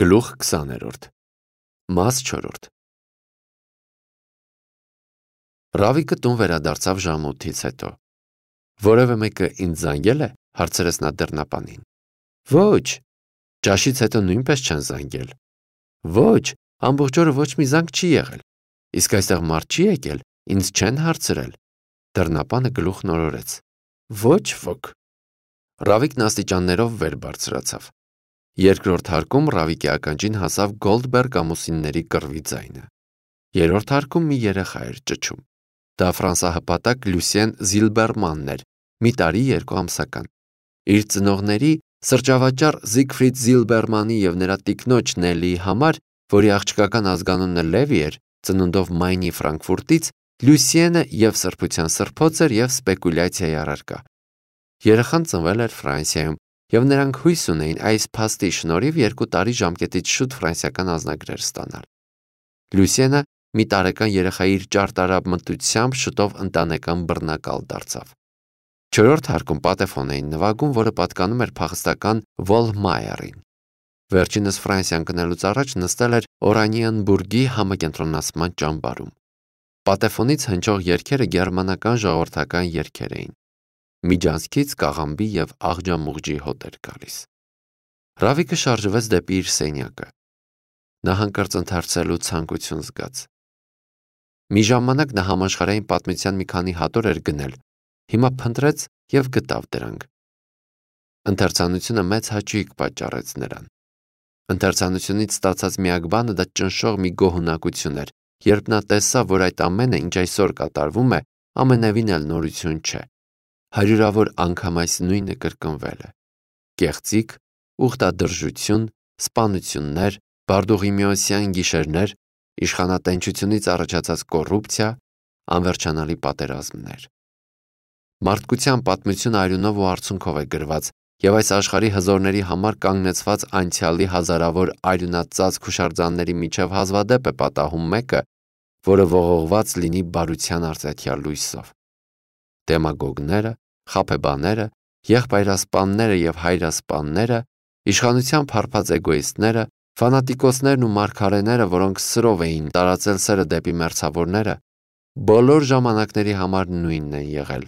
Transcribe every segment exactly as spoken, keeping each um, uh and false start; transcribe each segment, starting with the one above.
Գլուխ քսաներորդ Մաս չորրորդ Ռավիկը տուն վերադարձավ ժամութից հետո։ Որևէ մեկը ինձ զանգել է, հարցրեց նա դռնապանին։ Ոչ, ճաշից հետո նույնպես չեն զանգել։ Ոչ, ամբողջ օրը ոչ մի զանգ չի եղել։ Իսկ այստեղ մարդ չի եկել, ինձ չեն հարցրել։ Դռնապանը գլուխ նորորեց։ Ոչ ոք։ Ռավիկն աստիճաններով վեր բարձրացավ։ Երկրորդ հարկում Ռավիկի ականջին հասավ Գոլդբերգ ամուսինների կռվի ձայնը։ Երրորդ հարկում մի երեխա էր ճչում։ Դա ֆրանսահպատակ Լյուսիեն Զիլբերմանն էր, մի տարի երկու ամսական։ Իր ծնողների սրճավաճառ Զիգֆրիդ Զիլբերմանի և նրա տիկնոջ Նելիի համար, որի աղջկական ազգանունը Լևի էր, ծնունդով Մայնի Ֆրանկֆուրտից, Լյուսիենը և սրբության սրբոց էր և սպեկուլյացիայի առարկա։ Երեխան ծնվել էր Ֆրանսիայում, և նրանք հույս ունեին այս փաստի շնորհիվ երկու տարի ժամկետից շուտ ֆրանսիական անձնագրեր ստանալ։ Լյուսիենը մի տարեկան երեխայի իր ճարտարապետությամբ շուտով ընտանեկան բռնակալ դարձավ։ Չորրորդ հարկում պատեֆոն էին նվագում, որը պատկանում էր փախստական Վոլմայերին։ Վերջինս Ֆրանսիան գնալուց առաջ նստել էր Օրանիենբուրգի համակենտրոնացման ճամբարում։ Պատեֆոնից հնչող երգերը գերմանական ժողովրդական երգեր էին։ Միջանցքից կաղամբի և աղջամուղջի հոտ էր գալիս։ Ռավիկը շարժվեց դեպի իր սենյակը։ Նա հանկարծ ընթերցելու ցանկություն զգաց։ Մի ժամանակ նա համաշխարհային պատմության մի քանի հատոր էր գնել, հիմա փնտրեց և գտավ դրանք։ Ընթերցանությունը մեծ հաճույք պատճառեց նրան։ Ընթերցանությունից ստացած միակ բանը դա ճնշող մի գոհունակություն էր, երբ նա տեսավ, որ այդ ամենը, ինչ այսօր կատարվում է, ամենևին էլ նորություն չէ։ Հարյուրավոր անգամ այս նույնը կրկնվել է։ Կեղծիք, ուխտադրժություն, սպանություններ, բարդուղիմեոսյան գիշերներ, իշխանատենչությունից առաջացած կոռուպցիա, անվերջանալի պատերազմներ։ Մարդկության պատմությունը արյունով ու արցունքով է գրված, և այս աշխարհի հզորների համար կանգնեցված անցյալի հազարավոր արյունածածկ հուշարձանների միջև հազվադեպ է պատահում մեկը, որը ողողված լինի բարության արծաթյալ լույսով։ Դեմագոգները, խաբեբաները, եղբայրասպանները և հայրասպանները, իշխանությամբ հարբած էգոիստները, ֆանատիկոսներն ու մարգարեները, որոնք սրով էին տարածել սերը դեպի մերձավորները, բոլոր ժամանակների համար նույնն են եղել։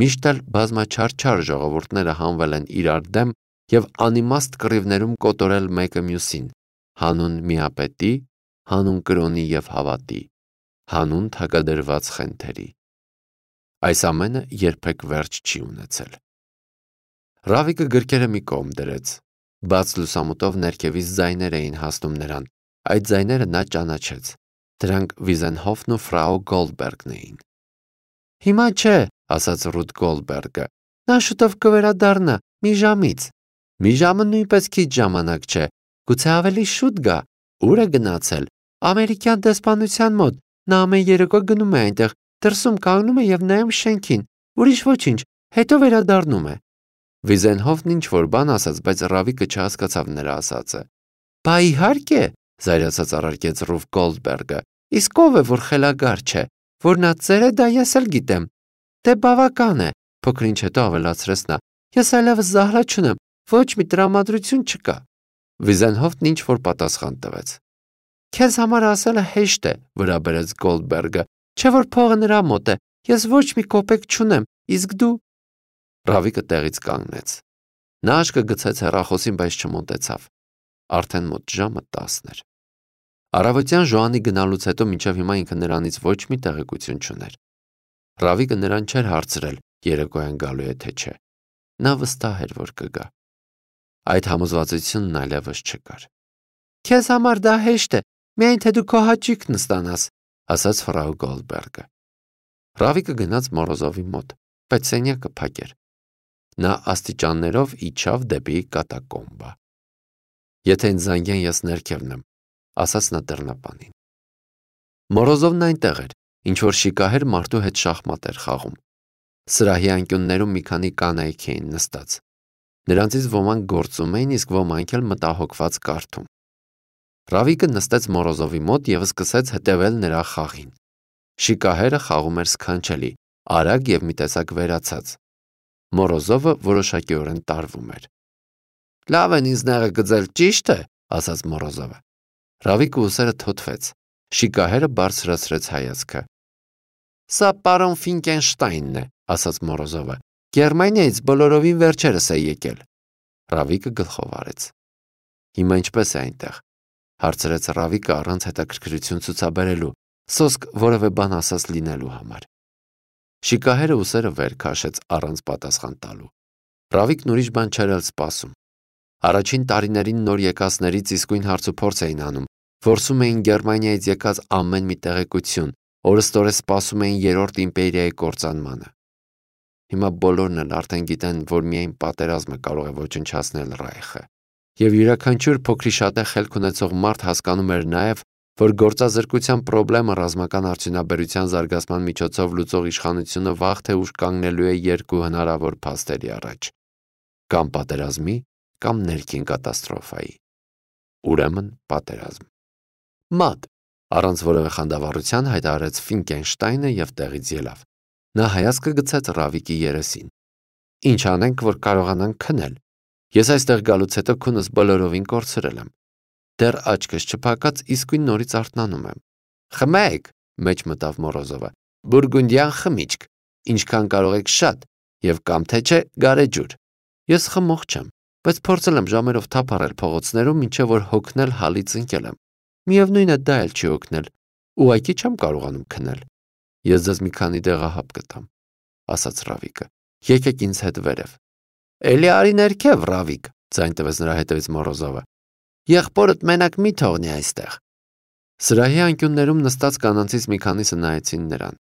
Միշտ էլ բազմաչարչար ժողովուրդները հանվել են իրար դեմ և անիմաստ կռիվներում կոտորել մեկը մյուսին, հանուն միապետի, հանուն կրոնի և հավատի, հանուն թագադրված խենթերի։ Այս ամենը երբեք վերջ չի ունեցել։ Ռավիկը գրքերը մի կողմ դրեց։ Բաց լուսամուտով ներքևից ձայներ էին հասնում նրան։ Այդ ձայները նա ճանաչեց։ Դրանք Վիզենհոֆն ու ֆրау Գոլդբերգն էին։ Հիմա չէ, ասաց Ռութ Գոլդբերգը։ Նա շուտով կվերադառնա, մի ժամից։ Մի ժամը նույնպես քիչ ժամանակ չէ, գուցե ավելի շուտ գա։ Ուր է գնացել։ Ամերիկյան դեսպանության մոտ։ Նա ամեն երեկո գնում է այնտեղ, դրսում կանգնում է և նայում շենքին։ Ուրիշ ոչինչ, հետո վերադառնում է։ Վիզենհոֆն ինչ-որ բան ասաց, բայց Ռավիկը չհասկացավ նրա ասածը։ Բա իհարկե, զայրացած առարկեց Ռութ Գոլդբերգը։ Իսկ ով է, որ խելագար չէ, որ նա ծեր է, դա ես էլ գիտեմ։ Դե բավական է, փոքր ինչ հետո ավելացրեց նա։ Ես այլևս զահլա չունեմ, ոչ մի տրամադրություն չկա։ Վիզենհոֆն ինչ-որ պատասխան տվեց։ Քեզ համար ասելը հեշտ է, վրա բերեց Գոլդբերգը, չէ որ փողը նրա մոտ է, ես ոչ մի կոպեկ չունեմ, իսկ դու… Ռավիկը տեղից կանգնեց։ Նա աչքը գցեց հեռախոսին, բայց չմոտեցավ։ Արդեն մոտ ժամը տասն էր։ Առավոտյան Ժոանի գնալուց հետո մինչև հիմա ինքը նրանից ոչ մի տեղեկություն չուներ։ Ռավիկը նրան չէր հարցրել, երեկոյան գալու է թե չէ։ Նա վստահ էր, որ կգա։ Այդ համոզվածությունն այլևս չկար։ Քեզ համար դա հեշտ է, միայն թե դու քո հաճույքն ստանաս, ասաց ֆրау Գոլդբերգը։ Ռավիկը գնաց Մորոզովի մոտ, բայց սենյակը փակ էր։ Նա աստիճաններով իջավ դեպի կատակոմբա։ Եթե ինձ զանգեն, ես ներքևն եմ, ասաց նա դռնապանին։ Մորոզովն այնտեղ էր, ինչ-որ շիկահեր մարդու հետ շախմատ էր խաղում։ Սրահի անկյուններում մի քանի կանայք էին նստած։ Նրանցից ոմանք գործում էին, իսկ ոմանք էլ մտահոգված կարդում։ Ռավիկը նստեց Մորոզովի մոտ և սկսեց հետևել նրա խաղին։ Շիկահերը խաղում էր սքանչելի, արագ և մի տեսակ վերացած։ Մորոզովը որոշակիորեն տարվում էր։ Լավ են ինձ նեղը գծել, ճիշտ է, ասաց Մորոզովը։ Ռավիկը ուսերը թոթվեց, շիկահերը բարձրացրեց հայացքը։ Սա պարոն Ֆինկենշտայնն է, ասաց Մորոզովը։ Գերմանիայից բոլորովին վերջերս է եկել։ Ռավիկը գլխով արեց։ Հիմա ինչպես է այնտեղ, հարցրեց Ռավիկը առանց հետաքրքրություն ցուցաբերելու, սոսկ որևէ բան ասած լինելու համար։ Շիկահերը ուսերը վեր քաշեց առանց պատասխան տալու։ Ռավիկն ուրիշ բան չէր էլ սպասում։ Առաջին տարիներին նոր եկածներից իսկույն հարցուփորձ էին անում, որսում էին Գերմանիայից եկած ամեն մի տեղեկություն, օրըստօրե սպասում էին երրորդ իմպերիայի կործանմանը։ Հիմա բոլորն էլ արդեն գիտեն, որ միայն պատերազմը կարող է ոչնչացնել Ռայխը։ Եվ յուրաքանչյուր փոքրիշատե խելք ունեցող մարդ հասկանում էր նաև, որ գործազրկության խնդրեմը ռազմական արդյունաբերության զարգացման միջոցով լուծող իշխանությունը վաղ թե ուշ կանգնելու է երկու հնարավոր փաստերի առաջ՝ կամ պատերազմի, կամ ներքին կատաստրոֆայի։ Ուրեմն պատերազմ։ Մատ, առանց որևէ խանդավառության հայտարարեց Ֆինկենշտայնը եւ տեղից ելավ։ Նա հայացքը գցեց Ռավիկի երեսին։ Ինչ անենք, որ կարողանանք քնել։ Ես այստեղ գալուց հետո քունս բոլորովին կորցրել եմ։ Դեռ աչքս չփակած իսկույն նորից արթնանում եմ։ Խմեք, մեջ մտավ Մորոզովը։ Բուրգունդյան խմիչք, ինչքան կարող եք շատ, եւ կամ թե չէ գարեջուր։ Ես խմող չեմ, բայց փորձել եմ ժամերով թափառել փողոցներում, մինչև որ հոգնել հալից ընկել եմ։ Միևնույն է, դա էլ չի օգնել։ Ուղղակի չեմ կարողանում քնել։ Ես ձեզ մի քանի դեղահապ կտամ, ասաց Ռավիկը։ Եկեք ինձ հետ վերև։ Էլի արի ներքև, Ռավիկ, ձայն տվեց նրա հետևից Մորոզովը։ Եղբորդ մենակ մի թողնի այստեղ։ Սրահի անկյուններում նստած կանանցից մի քանիսը նայեցին նրան։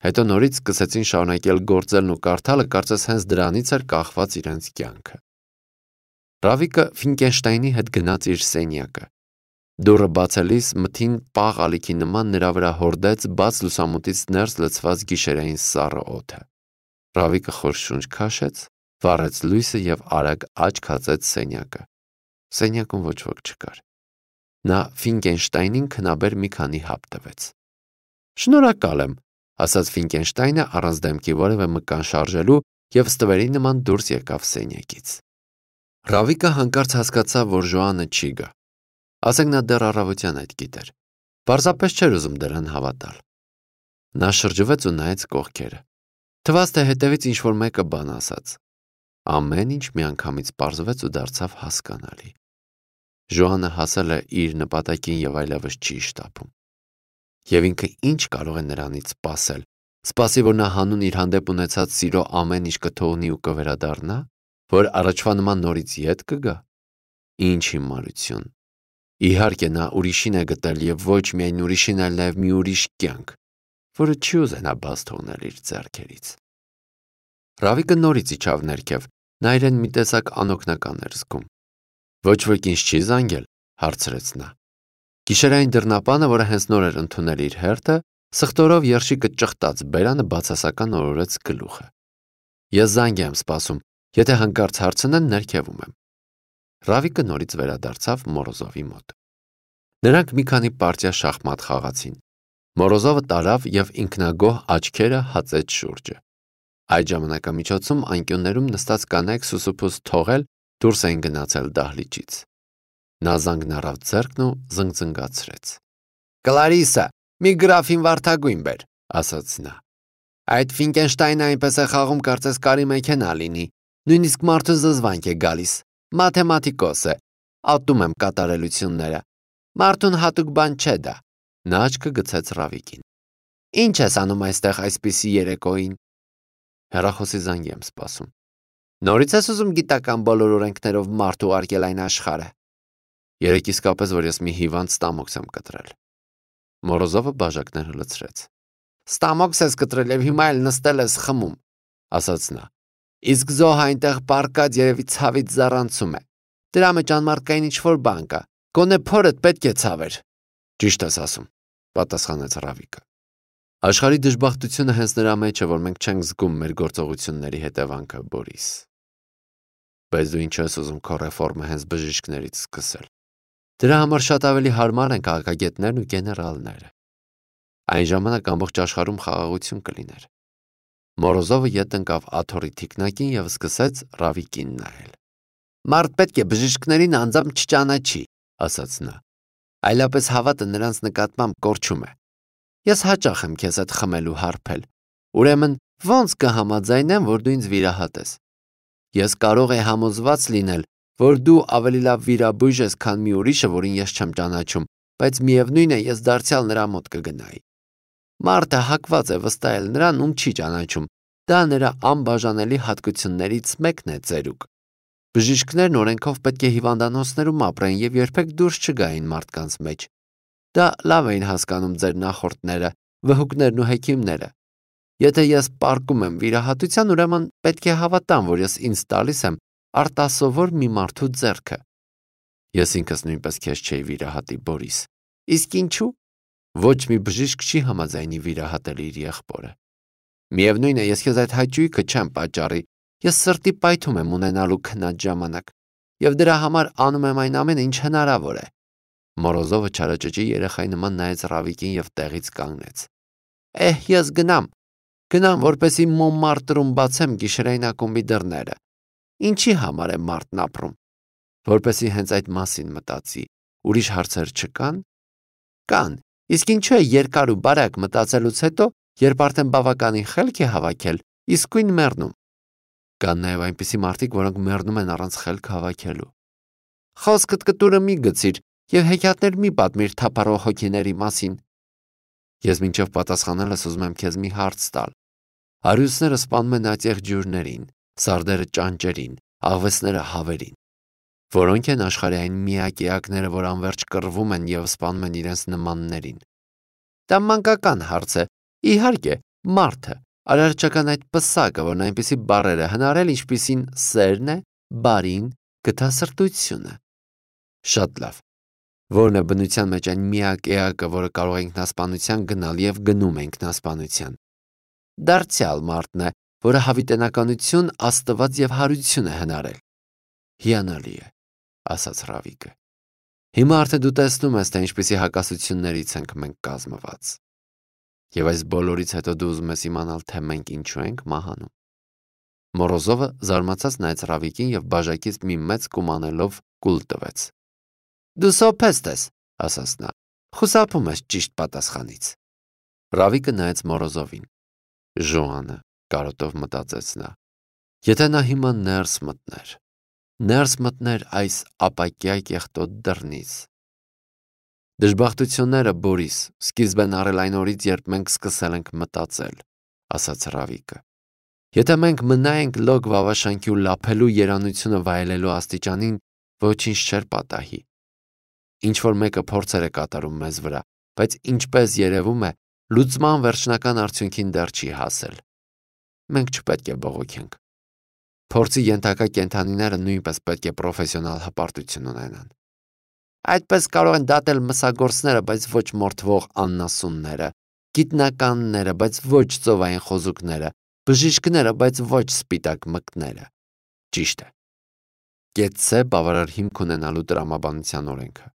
Հետո նորից սկսեցին շարունակել գործելն ու կարդալը, կարծես հենց դրանից էր կախված իրենց կյանքը։ Ռավիկը Ֆինկենշտայնի հետ գնաց իր սենյակը։ Դուռը բացելիս մթին պաղ ալիքի նման նրա վրա հորդեց բաց լուսամուտից ներս լցված գիշերային սառը օդը։ Ռավիկը խոր շունչ քաշեց, վառեց լույսը եւ արագ աչք հացեց սենյակը։ Սենյակում ոչ ոք չկար։ Նա Ֆինկենշտայնին քնաբեր մի քանի հապ տվեց։ Շնորհակալ եմ, ասաց Ֆինկենշտայնը առանց դեմքի որևէ մկան շարժելու եւ ստվերի նման դուրս եկավ սենյակից։ Ռավիկը հանկարծ հասկացավ, որ Ժոանը չի գա։ Ասենք նա դեռ առավոտյան այդ գիտեր։ Պարզապես չէր ուզում դրան հավատալ։ Նա շրջվեց ու նայեց կողքերը։ Թվաց, թե հետևից ինչ-որ մեկը բան ասաց։ Ամեն ինչ միանգամից պարզվեց ու դարձավ հասկանալի։ Ժոանը հասել է իր նպատակին եւ այլևս չի շտապում։ Եվ ինքը ինչ կարող է նրանից սպասել։ Սպասի, որ նա հանուն իր հանդեպ ունեցած սիրո ամեն ինչ կթողնի ու կվերադառնա, որ առաջվա նման նորից ետ կգա։ Ինչ հիմարություն։ Իհարկե նա ուրիշին է գտել եւ ոչ միայն ուրիշին, այլ նաեւ մի ուրիշ կյանք, որը չի ուզենա բաց թողնել իր ձեռքերից։ Ռավիկը նորից իջավ ներքև, նա իրեն մի տեսակ անօգնական էր զգում։ Ոչ ոք ինձ չի զանգել, հարցրեց նա։ Գիշերային դռնապանը, որը հենց նոր էր ընդունել իր հերթը, սխտորով երշիկը ճխտած բերանը բացասական օրորեց գլուխը։ Ես զանգ եմ սպասում, եթե հանկարծ հարցնեն, ներքևում եմ։ Ռավիկը նորից վերադարձավ Մորոզովի մոտ։ Նրանք մի քանի պարտիա շախմատ խաղացին։ Մորոզովը տարավ եւ ինքնագոհ աչքերը հացեց շուրջը։ Այդ ժամանակամիջոցում անկյուններում նստած կանայք սուսուփուս թողել դուրս էին գնացել դահլիճից։ Նա զանգն առավ ձեռքն ու զնգզնգացրեց։ Կլարիսա, մի գրաֆին վարդագույն բեր, ասաց նա։ Այդ Ֆինկենշտայնը այնպես է խաղում, կարծես կարի մեքենա լինի, նույնիսկ մարդու զզվանք է գալիս, մաթեմատիկոս է, ատում եմ կատարելությունները, մարդուն հատուկ բան չէ դա։ Նա աչքը գցեց Ռավիկին։ Ինչ ես անում այստեղ այսպիսի երեկոյին։ Հեռախոսի զանգ եմ սպասում։ Նորից ես ուզում գիտական բոլոր օրենքներով մարդ ուղարկել այն աշխարհը։ Երեք իսկապես, որ ես մի հիվանդ ստամոքս եմ կտրել։ Մորոզովը բաժակները լցրեց։ Ստամոքս ես կտրել եւ հիմա էլ նստել ես խմում, ասաց նա։ Իսկ զոհը այնտեղ պարկած երևի ցավից զառանցում է։ Դրա մեջ անմարդկային ինչ-որ բան կա։ Գոնե փորդ պետք է ցավեր։ Ճիշտ ես ասում, պատասխանեց Ռավիկը։ Աշխարհի դժբախտությունը հենց նրա մեջ է, որ մենք չենք զգում մեր գործողությունների հետևանքը, Բորիս։ Բայց դու ինչ ես ուզում քո ռեֆորմը հենց բժիշկներից սկսել։ Դրա համար շատ ավելի հարմար են քաղաքագետներն ու գեներալները։ Այն ժամանակ ամբողջ աշխարհում խաղաղություն կլիներ։ Մորոզովը ետ ընկավ աթոռի թիկնակին եւ սկսեց Ռավիկին նայել։ Մարդ պետք է բժիշկներին անձամբ չճանաչի, ասաց նա։ Այլապես հավատը նրանց նկատմամբ կորչում է։ Ես հաճախ եմ քեզ հետ խմելու հարբել։ Ուրեմն ո՞նց կհամաձայնեմ, որ դու ինձ վիրահատես։ Ես կարող եմ համոզված լինել, որ դու ավելի լավ վիրաբույժ ես, քան մի ուրիշը, որին ես չեմ ճանաչում, բայց միևնույն է, ես դարձյալ նրա մոտ կգնայի։ Մարդը հակված է վստահել նրան, ում չի ճանաչում։ Դա նրա անբաժանելի հատկություններից մեկն է ծերուկ։ Բժիշկներն օրենքով պետք է հիվանդանոցներում ապրեն եւ երբեք դուրս չգային մարդկանց մեջ։ Դա լավ էին հասկանում ձեր նախորդները, վհուկներն ու հեքիմները։ Եթե ես պարկում եմ վիրահատության, ուրեմն պետք է հավատամ, որ ես ինձ տալիս եմ արտասովոր մի մարդու ձեռքը։ Ես ինքս նույնպես քեզ չէի վիրահատի, Բորիս։ Իսկ ինչու՞։ Ոչ մի բժիշկ չի համաձայնի վիրահատել իր եղբորը։ Միևնույն է, ես քեզ այդ հաճույքը չեմ պատճառի։ Ես սրտի պայթում եմ ունենալու քնած ժամանակ, եւ դրա համար անում եմ այն ամենը, ինչ հնարավոր է։ Մորոզովը չարաճճի երեխայի նման նայեց Ռավիկին եւ տեղից կանգնեց։ Էհ, ես գնամ։ Գնամ, որպեսի Մոնմարտրում բացեմ գիշերային ակումբի դռները։ Ինչի համար է մարդն ապրում։ Որպեսի հենց այդ մասին մտածի։ Ուրիշ հարցեր չկան։ Կան։ Իսկ ինչու է երկար ու բարակ մտածելուց հետո, երբ արդեն բավականին խելք է հավաքել, իսկույն մեռնում։ Կան նաև այնպիսի մարդիկ, որոնք մեռնում են առանց խելք հավաքելու։ Խոսքդ կտուրը մի գցիր եւ հեքիաթներ մի պատմիր թափառող հոգիների մասին։ Ես մինչև պատասխանելս ուզում եմ քեզ մի հարց տալ։ Արյուսները սպանում են ածեղ ջուրներին, սարդերը ճանճերին, աղվեսները հավերին։ Որոնք են աշխարհի այն միակ էակները, որ անverջ կռվում են եւ սպանում են իրենց նմաններին։ Դա մանկական հարց է։ Իհարկե, մարդը, արարչական այդ պսակը, որն այնպիսի բառեր է հնարել, ինչպիսին սերն է, բարին, գթասրտությունը։ Շատ լավ։ Որն է բնության մեջ այն միակ էակը, որը կարող է ինքնասպանության գնալ եւ գնում է ինքնասպանության։ Դարձյալ մարդն է, որը հավիտենականություն, աստված եւ հարություն է հնարել։ Հիանալի է, ասաց Ռավիկը։ Հիմա արդեն դու տեսնում ես, թե ինչպիսի հակասություններից ենք մենք կազմված։ Եվ այս բոլորից հետո դու ուզում ես իմանալ, թե մենք ինչու ենք մահանում։ Մորոզովը զարմացած նայեց Ռավիկին եւ բաժակից մի մեծ կումանելով կուլ տվեց։ Դու սոփեստ ես, ասաց նա։ Խուսափում ես ճիշտ պատասխանից։ Ռավիկը նայեց Մորոզովին։ Ժոանը, կարոտով մտածեց նա։ Եթե նա հիմա ներս մտներ, ներս մտներ այս ապակյա կեղտոտ դռնից։ Դժբախտությունները, Բորիս, սկիզբ են առել այն օրից, երբ մենք սկսել ենք մտածել, ասաց Ռավիկը։ Եթե մենք մնայենք լոկ վավաշանքի ու լափելու երանությունը վայելելու աստիճանին, ոչինչ չէր պատահի։ Ինչ որ մեկը փորձեր է կատարում մեզ վրա, բայց ինչպես երևում է, լուծման վերջնական արդյունքին դեռ չի հասել։ Մենք չպետք է բողոքենք։ Փորձի ենթակա կենդանիները նույնպես պետք է պրոֆեսիոնալ հպարտություն ունենան։ Այդպես կարող են դատել մսագործները, բայց ոչ մորթվող աննասունները, գիտնականները, բայց ոչ ծովային խոզուկները, բժիշկները, բայց ոչ սպիտակ մկները։ Ճիշտ է։ Կեցցե բավարար հիմք ունենալու տրամաբանության օրենքը։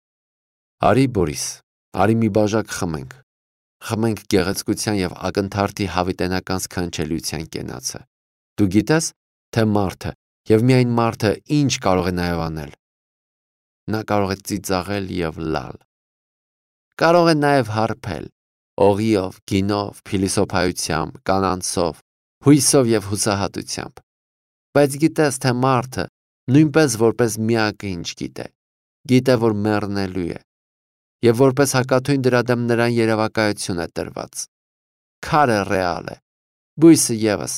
Արի, Բորիս, արի մի բաժակ խմենք։ Խմենք գեղեցկության եւ ակնթարթի հավիտենական սքանչելիության կենացը։ Դու գիտես, թե մարդը եւ միայն մարդը ինչ կարող է նաեւ անել։ Նա կարող է ծիծաղել եւ լալ։ Կարող է նաեւ հարբել, օղիով, գինով, փիլիսոփայությամբ, կանանցով, հույսով եւ հուսահատությամբ։ Բայց գիտես, թե մարդը նույնպես որպես միակ ինչ գիտե։ Գիտե, որ մեռնելու է։ Եվ որպես հակաթույն դրա դեմ նրան երևակայություն է տրված։ Քարը ռեալ է, բույսը ևս,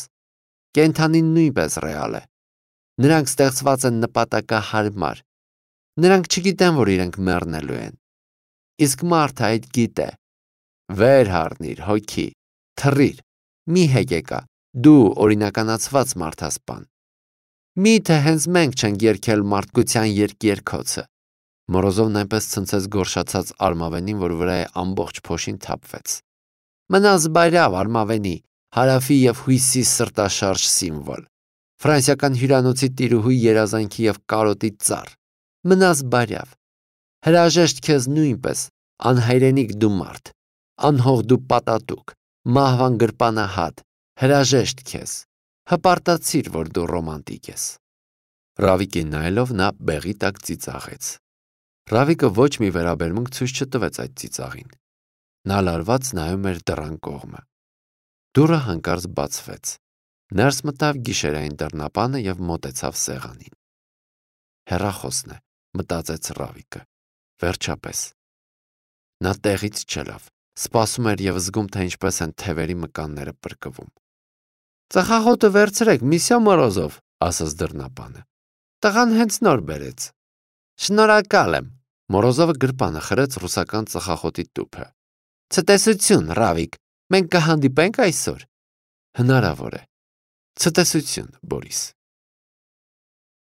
կենդանին նույնպես ռեալ է։ Նրանք ստեղծված են նպատակահարմար։ Նրանք չգիտեն, որ իրենք մեռնելու են։ Իսկ մարդը այդ գիտե։ Վեր հառնիր, հոգի, թռիր, մի հեկեկա, դու օրինականացված մարդասպան։ Միթե հենց մենք չենք երգել մարդկության երկերքոցը։ Մորոզովն այնպես ցնցեց գորշացած Արմավենին, որ վրա է ամբողջ փոշին թափվեց։ Մնաս բայրավ, Արմավենի, հարավի եւ հույսի սրտաշարժ սիմվոլ։ Ֆրանսիական հյուրանոցի տիրուհու երազանքի եւ կարոտի ծառ։ Մնաս բայրավ։ Հրաժեշտ քեզ նույնպես, անհայրենիք դու մարդ, անհող դու պատատուկ, մահվան գրպանահատ, հրաժեշտ քեզ։ Հպարտացիր, որ դու ռոմանտիկ ես։ Ռավիկին նայելով նա բեղի տակ ծիծաղեց։ Ռավիկը ոչ մի վերաբերմունք ցույց չտվեց այդ ծիծաղին։ Նա լարված նայում էր դռան կողմը։ Դուռը հանկարծ բացվեց։ Ներս մտավ գիշերային դռնապանը եւ մոտեցավ սեղանին։ Հեռախոսն է, մտածեց Ռավիկը։ Վերջապես։ Նա տեղից չելավ, սպասում էր եւ զգում, թե ինչպես են թևերի մկանները պրկվում։ Ծխախոտը վերցրեք, Միսյա Մորոզով, ասաց դռնապանը։ Տղան հենց նոր բերեց։ Շնորհակալ եմ։ Մորոզովը գրպանը խրեց ռուսական ծխախոտի տուփը։ Ցտեսություն, Ռավիկ, մենք կհանդիպենք այսօր։ Հնարավոր է։ Ցտեսություն, Բորիս։